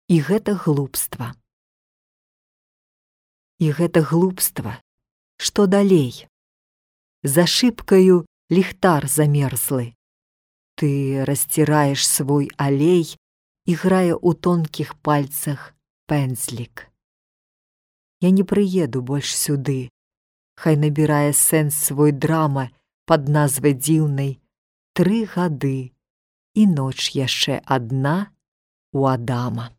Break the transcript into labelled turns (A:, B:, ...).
A: І гэта глупства. І гэта глупства. Што далей? За шыбкаю ліхтар замерзлы. Ты расціраеш свой алей, і грае ў тонкіх пальцах пэндзлік. Я не прыеду больш сюды. Хай набірае сэнс свой драма пад назвай дзіўнай 3 гады, і ноч яшчэ адна у Адама.